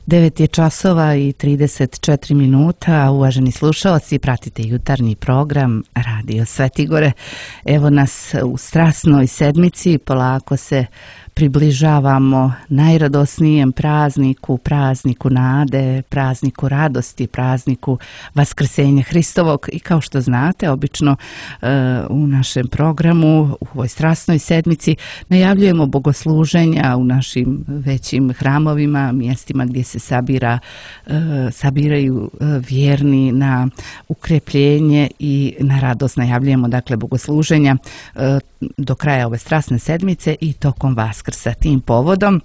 9 je časova i 34 minuta. Uvaženi slušalci, pratite jutarnji program Radio Svetigore. Evo nas u strasnoj sedmici, polako se približavamo najradosnijem prazniku, prazniku nade, prazniku radosti, prazniku Vaskrsenja Hristovog. I kao što znate, obično u našem programu, u ovoj strasnoj sedmici, najavljujemo bogosluženja u našim većim hramovima, mjestima gdje se sabiraju vjerni na ukrepljenje i na radost. Najavljujemo dakle bogosluženja do kraja ove strasne sedmice i tokom Vaskrsa. Tim povodom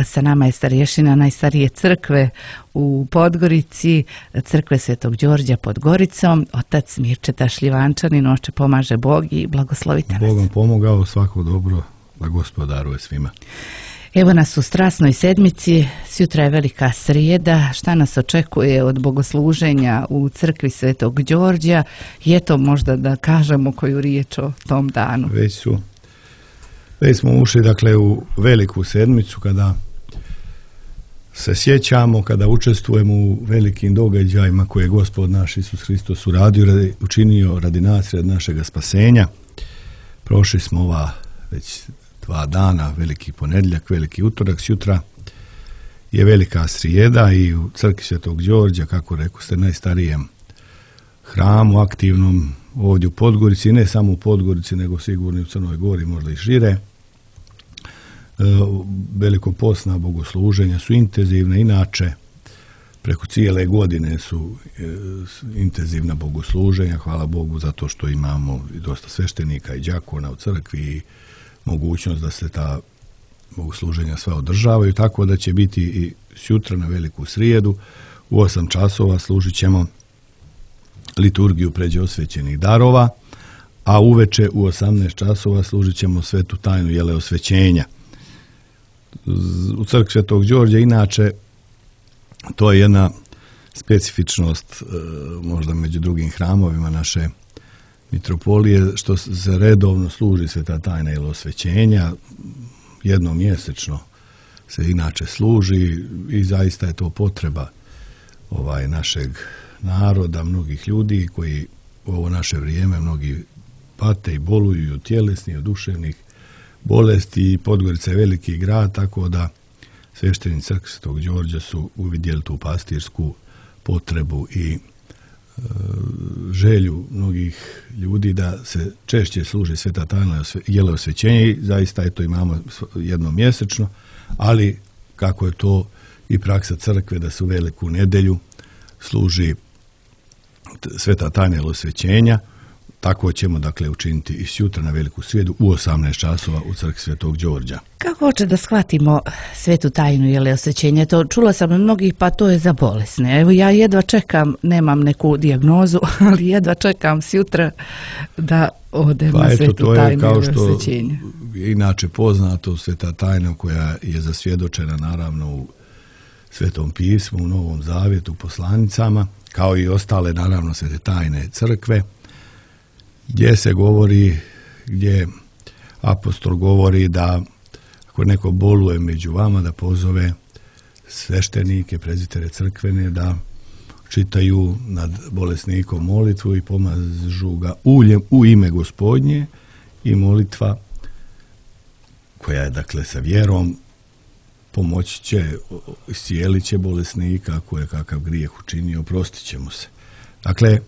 sa nama je starješina najstarije crkve u Podgorici, crkve Svetog Đorđa pod Goricom, otac Mirčeta Šljivančanin. Oče, pomaže Bog i blagoslovite nas. Bogom pomogao, svako dobro, da Gospod daruje svima. Evo nas u strasnoj sedmici, sutra je velika srijeda. Šta nas očekuje od bogosluženja u crkvi Svetog Đorđa? Je to možda da kažemo koju riječ o tom danu? Već smo ušli dakle u veliku sedmicu kada se sjećamo, kada učestvujemo u velikim događajima koje je Gospod naš Isus Hristos učinio radi nas, radi našega spasenja. Prošli smo ova već 2 dana, veliki ponedjeljak, veliki utorak, sutra je velika srijeda i u crkvi Svetog Đorđa, kako rekao ste, najstarijem hramu aktivnom ovdje u Podgorici, ne samo u Podgorici, nego sigurno i u Crnoj Gori, možda i šire. Velikopostna bogosluženja su intenzivne, inače preko cijele godine su intenzivna bogosluženja, hvala Bogu za to što imamo i dosta sveštenika i đakona u crkvi i mogućnost da se ta bogosluženja sva održavaju, tako da će biti i sutra na veliku srijedu u 8 časova služit ćemo liturgiju pređe osvećenih darova, a uveče u 18 časova služit ćemo svetu tajnu jeleosvećenja. U crkvi Svetog Đorđa inače to je jedna specifičnost možda među drugim hramovima naše mitropolije, što se redovno služi sveta tajna jeleosvećenja, jednom mjesečno se inače služi i zaista je to potreba našeg naroda, mnogih ljudi koji u ovo naše vrijeme mnogi pate i boluju od tjelesnih, od duševnih bolesti i Podgorica je veliki grad, tako da sveštenici crkve Svetog Đorđa su uvidjeli tu pastirsku potrebu i želju mnogih ljudi da se češće služi sveta tajna jeleosvećenja i zaista je to imamo jednom mjesečno, ali kako je to i praksa crkve da se u veliku nedjelju služi sveta tajna jeleosvećenja, tako ćemo dakle učiniti i sutra na veliku srijedu u 18 časova u crkvi Svetog Đorđa. Kako hoće da shvatimo svetu tajnu jeleosvećenja? To čula sam od mnogih, pa to je za bolesne. Evo ja jedva čekam, nemam neku dijagnozu, ali jedva čekam sutra da odem na svetu tajnu jeleosvećenja. Kao što je inače poznato, sveta tajna koja je zasvjedočena naravno u Svetom pismu, u Novom Zavjetu, poslanicama, kao i ostale naravno svete tajne crkve, gdje se govori, gdje apostol govori da ako neko boluje među vama, da pozove sveštenike, prezitere crkvene, da čitaju nad bolesnikom molitvu i pomažu ga uljem u ime Gospodnje i molitva koja je dakle sa vjerom pomoći će, iscijelit će bolesnika, ako je kakav grijeh učinio, oprostit će mu se. Dakle,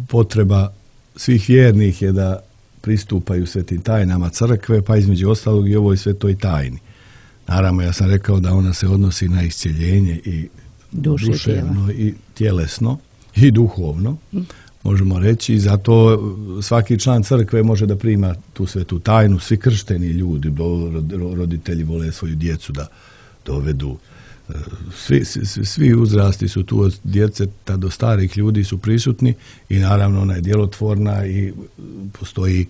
potreba svih vjernih je da pristupaju svetim tajnama crkve, pa između ostalog i ovoj svetoj tajni. Naravno, ja sam rekao da ona se odnosi na iscjeljenje i duševno i tjelesno i duhovno, možemo reći, i zato svaki član crkve može da prima tu svetu tajnu, svi kršteni ljudi, roditelji vole svoju djecu da dovedu. Svi uzrasti su tu od djeceta do starih ljudi su prisutni i naravno ona je djelotvorna i postoji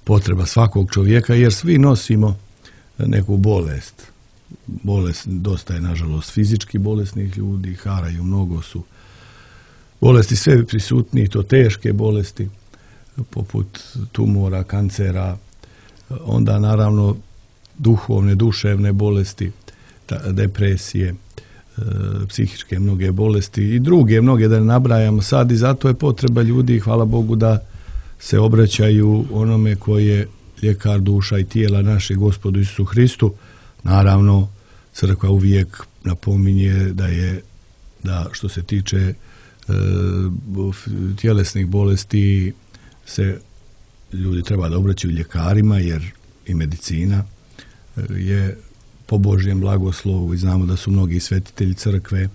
potreba svakog čovjeka jer svi nosimo neku bolest. Bolest dosta je nažalost fizički bolesnih ljudi, haraju, mnogo su bolesti sve prisutni, to teške bolesti poput tumora, kancera, onda naravno duhovne, duševne bolesti depresije, psihičke mnoge bolesti i druge mnoge da ne nabrajamo sad, i zato je potreba ljudi, hvala Bogu, da se obraćaju onome koji je ljekar duša i tijela naše, Gospodu Isusu Hristu. Naravno, crkva uvijek napominje da što se tiče tjelesnih bolesti se ljudi treba da obraćaju ljekarima, jer i medicina je po Božjem blagoslovu i znamo da su mnogi svetitelji crkve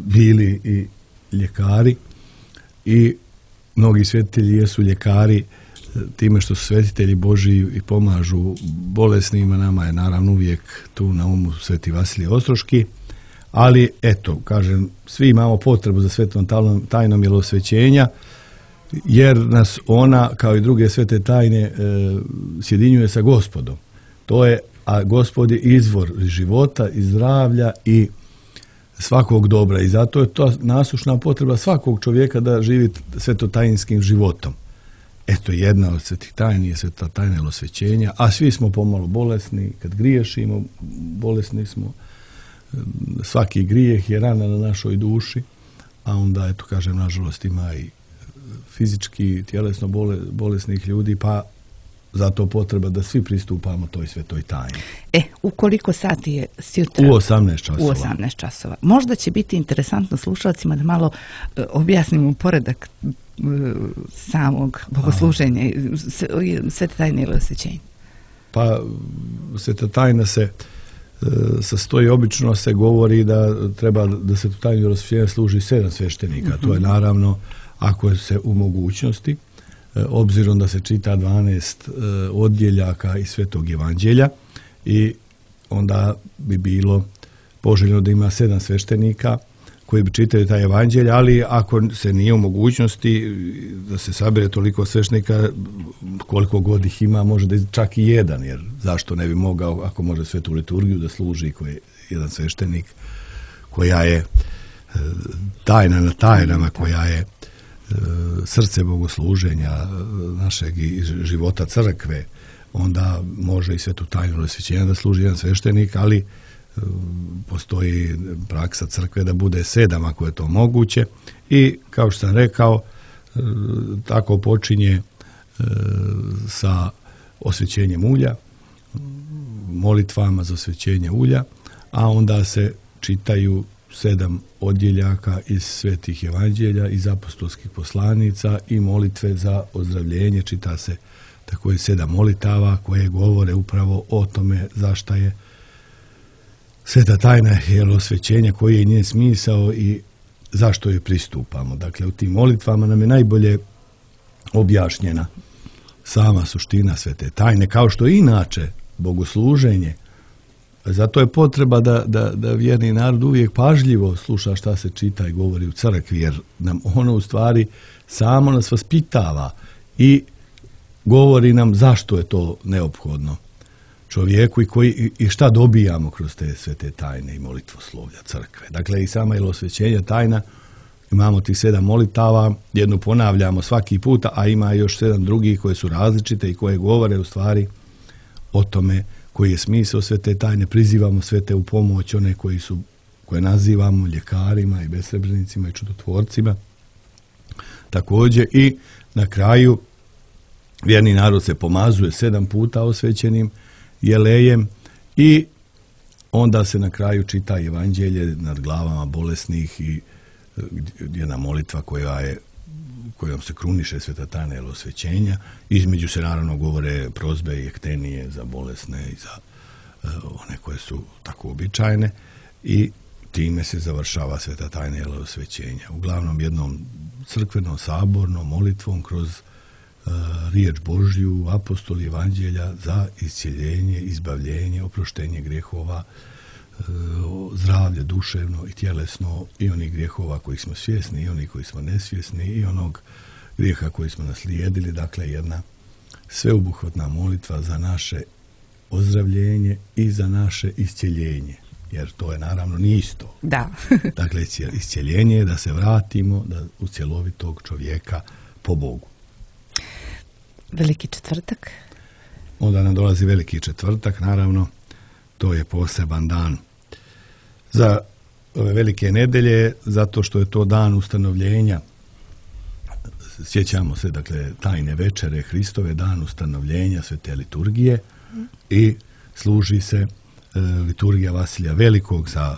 bili i ljekari, i mnogi svetitelji jesu ljekari time što su svetitelji Božji i pomažu bolesnima. Nama je naravno uvijek tu na umu Sveti Vasilije Ostroški, ali eto, kažem, svi imamo potrebu za svetom tajnom milosvećenja, jer nas ona, kao i druge svete tajne, sjedinjuje sa Gospodom. A Gospod je izvor života i zdravlja i svakog dobra, i zato je to nasušna potreba svakog čovjeka da živi svetotajinskim životom. Eto, jedna od svetih tajni je sveta tajna milosvećenja, a svi smo pomalo bolesni, kad griješimo, bolesni smo. Svaki grijeh je rana na našoj duši, a onda, eto, kažem, nažalost ima i fizički, tjelesno bolesnih ljudi, pa zato potreba da svi pristupamo toj svetoj tajni. U koliko sati je sjutra? U 18 časova. U 18 časova. Možda će biti interesantno slušalcima da malo objasnimo poredak samog bogosluženja i svete tajne milosvećenja. Pa, sveta tajna se sastoji, obično se govori da treba da svetu tajnu milosvećenja služi 7 sveštenika. To je naravno ako se u mogućnosti, obzirom da se čita 12 odjeljaka iz Svetog Evanđelja, i onda bi bilo poželjno da ima 7 sveštenika koji bi čitali taj evanđelj, ali ako se nije u mogućnosti da se sabere toliko sveštenika, koliko god ih ima, može da čak i jedan, jer zašto ne bi mogao, ako može svetu liturgiju da služi koji je jedan sveštenik, koja je tajna na tajnama, koja je srce bogosluženja našeg i života crkve, onda može i svetu tajnu milosvećenja da služi jedan sveštenik, ali postoji praksa crkve da bude 7 ako je to moguće. I kao što sam rekao, tako počinje sa osvećenjem ulja, molitvama za osvećenje ulja, a onda se čitaju 7 odjeljaka iz svetih evanđelja, iz apostolskih poslanica i molitve za ozdravljenje. Čita se tako i 7 molitava koje govore upravo o tome zašto je sveta tajna milosvećenja, koji je njen smisao i zašto joj pristupamo. Dakle, u tim molitvama nam je najbolje objašnjena sama suština svete tajne, kao što je inače bogosluženje. Zato je potreba da vjerni narod uvijek pažljivo sluša šta se čita i govori u crkvi, jer nam ono u stvari samo nas vaspitava i govori nam zašto je to neophodno čovjeku i šta dobijamo kroz te svete tajne i molitvoslovlja crkve. Dakle, i sama milosvećenja tajna, imamo tih 7 molitava, jednu ponavljamo svaki puta, a ima još 7 drugih koje su različite i koje govore u stvari o tome koji je smisao svete tajne. Prizivamo svete u pomoć, one koje nazivamo ljekarima i besrebrenicima i čudotvorcima. Također i na kraju vjerni narod se pomazuje 7 puta osvećenim jelejem i onda se na kraju čita evanđelje nad glavama bolesnih i jedna molitva kojom se kruniše sveta tajna milosvećenja. Između se naravno govore prozbe i ektenije za bolesne i za one koje su tako običajne, i time se završava sveta tajna milosvećenja. Uglavnom jednom crkvenom sabornom molitvom kroz riječ Božju, apostoli evanđelja za iscjeljenje, izbavljenje, oproštenje grijehova, zdravlje duševno i tjelesno, i onih grijehova kojih smo svjesni i onih koji smo nesvjesni i onog grijeha koji smo naslijedili. Dakle, jedna sveobuhvatna molitva za naše ozdravljenje i za naše iscjeljenje, jer to je naravno nije isto. Da. Dakle, iscjeljenje je da se vratimo u cjelovitog čovjeka po Bogu. Veliki četvrtak. Onda nam dolazi Veliki četvrtak, naravno. to je poseban dan za ove velike nedelje, zato što je to dan ustanovljenja. Sjećamo se, dakle, tajne večere Hristove, dan ustanovljenja svete liturgije i služi se liturgija Vasilija Velikog za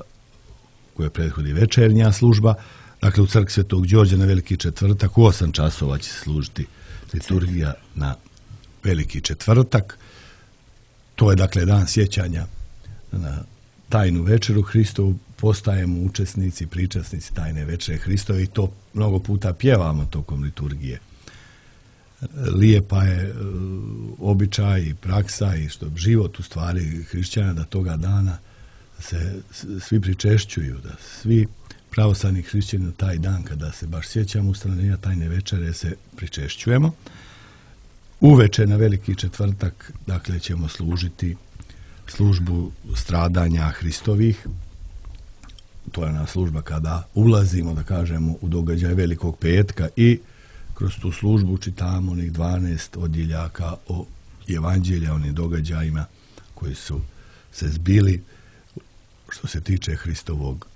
koje prethodi večernja služba. Dakle, u crkvi Svetog Đorđa na Veliki četvrtak u 8 časova će se služiti liturgija na Veliki četvrtak. To je, dakle, dan sjećanja na tajnu večeru Hristovu. Postajemo učesnici, pričasnici tajne večere Hristove i to mnogo puta pjevamo tokom liturgije. Lijepa je običaj i praksa i što život u stvari hrišćana da toga dana se svi pričešćuju, da svi pravoslavni hrišćani na taj dan kada se baš sjećamo ustanovljenja tajne večere se pričešćujemo. Uveče na Veliki četvrtak, dakle, ćemo služiti službu stradanja Hristovih. To je ona služba kada ulazimo, da kažemo, u događaj Velikog petka i kroz tu službu čitamo onih 12 odjeljaka o evanđelja, onim događajima koji su se zbili što se tiče Hristovog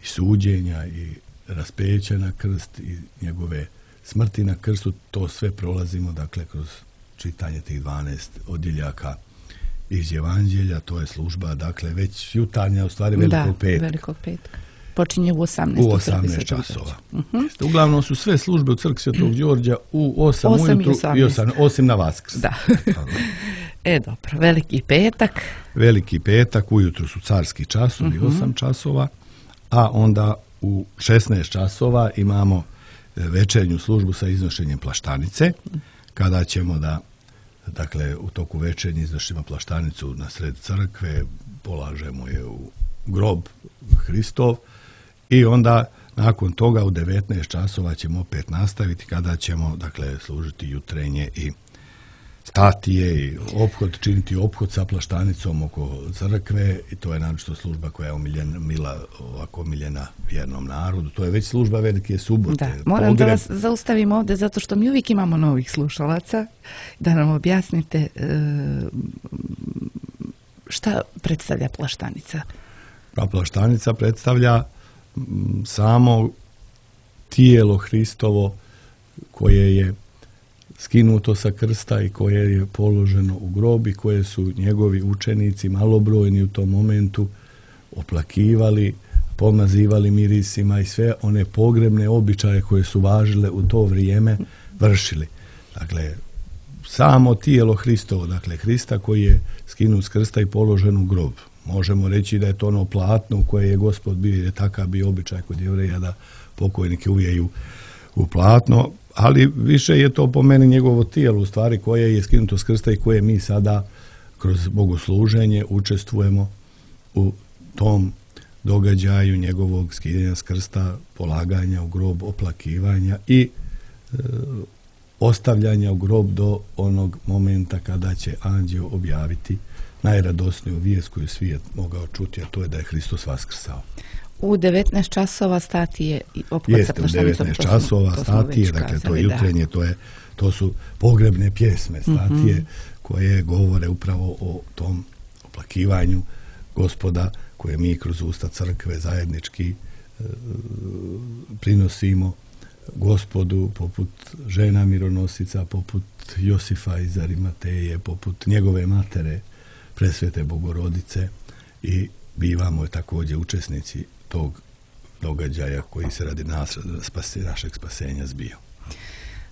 i suđenja i raspeća na krst i njegove smrti na krstu. To sve prolazimo, dakle, kroz čitanje tih 12 odjeljaka iz evanđelja. To je služba, dakle, već jutarnja, u stvari Velikog petka. Velikog petka. Počinje u 18. U 18 časova. Uglavnom su sve službe u crkvi Svetog Đorđa u 8 ujutru i 8, osim na Vaskrs. Da. Dobro, Veliki petak. Veliki petak, ujutru su carski časovi, 8 časova, a onda u 16 časova imamo večernju službu sa iznošenjem plaštanice, kada ćemo dakle, u toku večernje iznošimo plaštanicu na sred crkve, polažemo je u grob Hristov i onda nakon toga u 19 časova ćemo opet nastaviti kada ćemo, dakle, služiti jutrenje i statije i činiti ophod sa plaštanicom oko crkve i to je naročito služba koja je omiljena vjernom narodu. To je već služba Velike subote. Da, moram da vas zaustavim ovdje zato što mi uvijek imamo novih slušalaca da nam objasnite šta predstavlja plaštanica. Pa plaštanica predstavlja samo tijelo Hristovo koje je skinuto sa krsta i koje je položeno u grob i koje su njegovi učenici malobrojni u tom momentu oplakivali, pomazivali mirisima i sve one pogrebne običaje koje su važile u to vrijeme vršili. Dakle, samo tijelo Hristovo, dakle Hrista koji je skinut s krsta i položen u grob. Možemo reći da je to ono platno u koje je Gospod bio, jer je takav bio običaj kod Jevreja da pokojnike uvijeju u platno, ali više je to po meni njegovo tijelo u stvari koje je skinuto s krsta i koje mi sada kroz bogosluženje učestvujemo u tom događaju njegovog skidanja s krsta, polaganja u grob, oplakivanja i ostavljanja u grob do onog momenta kada će anđeo objaviti najradosniju vijest koju svijet mogao čuti, a to je da je Hristos vaskrsao. U 19 časova statije i ophod sa plaštanicom. U 19 časova statije, dakle to je jutrenje, to su pogrebne pjesme, statije koje govore upravo o tom oplakivanju Gospoda koje mi kroz usta crkve zajednički prinosimo Gospodu, poput žena mironosica, poput Josifa iz Arimateje, poput njegove matere Presvete Bogorodice i bivamo također učesnici tog događaja koji se radi našeg spasenja zbio.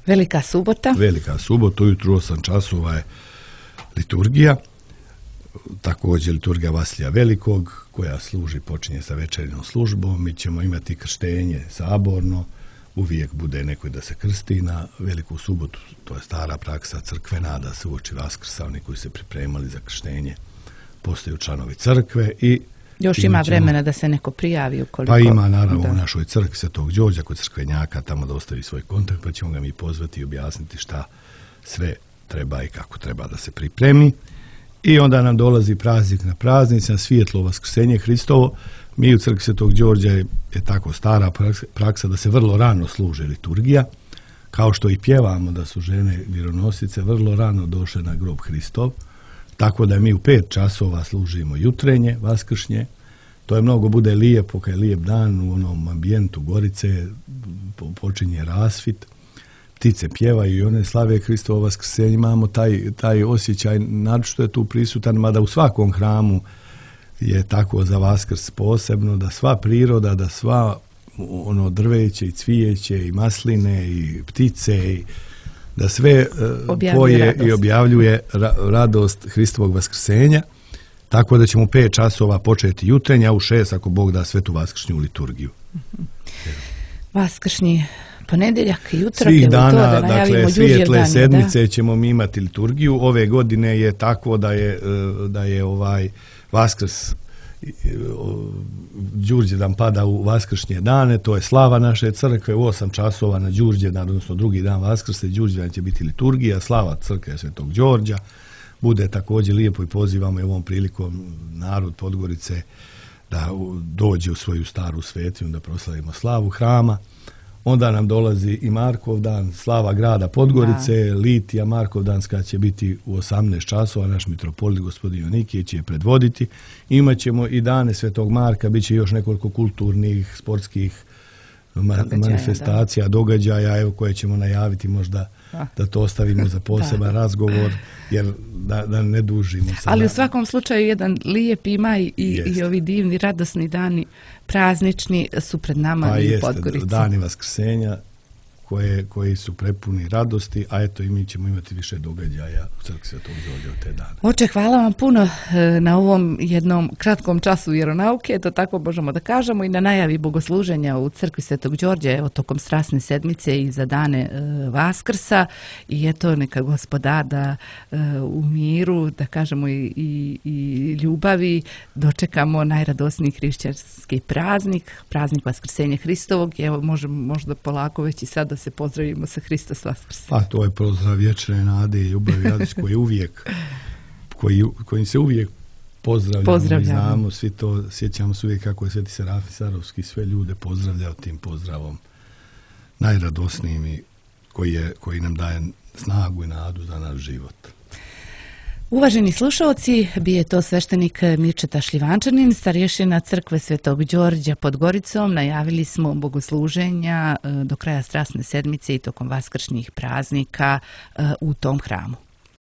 Velika subota. Velika subota, ujutru 8 časova je liturgija, također liturgija Vasilija Velikog koja počinje sa večernjom službom. Mi ćemo imati krštenje saborno, uvijek bude neko da se krsti na Veliku subotu, to je stara praksa crkvena, da se uoči Vaskrsa oni koji se pripremali za krštenje postaju članovi crkve i još ima vremena da se neko prijavi ukoliko... Pa ima naravno u našoj crkvi Svetog Đorđa kod crkvenjaka tamo da ostavi svoj kontakt, pa ćemo ga mi pozvati i objasniti šta sve treba i kako treba da se pripremi. I onda nam dolazi praznik na praznicima, svjetlo Vaskrsenje Hristovo. Mi u crkvi Svetog Đorđa je tako stara praksa da se vrlo rano služe liturgija, kao što i pjevamo da su žene mironosice vrlo rano došle na grob Hristov. tako da mi u 5 časova služimo jutrenje, vaskršnje. To je mnogo bude lijepo, kad je lijep dan u onom ambijentu Gorice, počinje rasvit, ptice pjevaju i one slave Hristovo vaskrsenje. Imamo taj osjećaj, naročito je tu prisutan, mada u svakom hramu je tako za Vaskrs posebno, da sva priroda, da sva ono drveće i cvijeće i masline i ptice i da sve poje i objavljuje radost Hristovog vaskrsenja, tako da ćemo u 5 časova početi jutrenja, a u 6 ako Bog da svetu vaskršnju liturgiju. Vaskršnji ponedjeljak, utorak, svih dana, dakle svijetle sedmice ćemo mi imati liturgiju. Ove godine je tako da je Vaskrs Đurđevdan pada u vaskršnje dane, to je slava naše crkve u 8 časova na Đurđevdan, odnosno drugi dan Vaskrsa i Đurđevdan će biti liturgija, slava crkve Svetog Đorđa. Bude također lijepo i pozivamo i ovom prilikom narod Podgorice da dođe u svoju staru svetinju da proslavimo slavu hrama. Onda nam dolazi i Markovdan, slava grada Podgorice, litija Markovdanska će biti u 18 časova, naš mitropolit gospodin Jonikije će je predvoditi. Imaćemo i dane Svetog Marka, bit će još nekoliko kulturnih, sportskih manifestacija, događaja, evo koje ćemo najaviti možda da to ostavimo za poseban razgovor, jer da ne dužimo. Ali u svakom slučaju jedan lijep maj i ovi divni, radosni dani praznični su pred nama i u Podgorici. Dani Vaskrsenja koji su prepuni radosti, a eto i mi ćemo imati više događaja u crkvi Svetog Đorđa u te dane. Oče, hvala vam puno na ovom jednom kratkom času vjeronauke, to tako možemo da kažemo, i na najavi bogosluženja u crkvi Svetog Đorđa, evo tokom strasne sedmice i za dane Vaskrsa, i eto neka Gospodar da u miru, da kažemo i ljubavi, dočekamo najradosniji hrišćanski praznik Vaskrsenja Hristovog. Evo možda polako već i sad da se pozdravimo sa Hristos Vaskrse. Pa to je pozdrav vječne nade i ljubavi radosti kojim se uvijek pozdravljamo. I znamo, svi to sjećamo se uvijek kako je Sveti Serafim Sarovski sve ljude pozdravljao tim pozdravom najradosnijim i koji nam daje snagu i nadu za naš život. Uvaženi slušalci, bio to sveštenik Mirčeta Šljivančanin, starješina crkve Svetog Đorđa pod Goricom. Najavili smo bogosluženja do kraja strasne sedmice i tokom vaskršnjih praznika u tom hramu.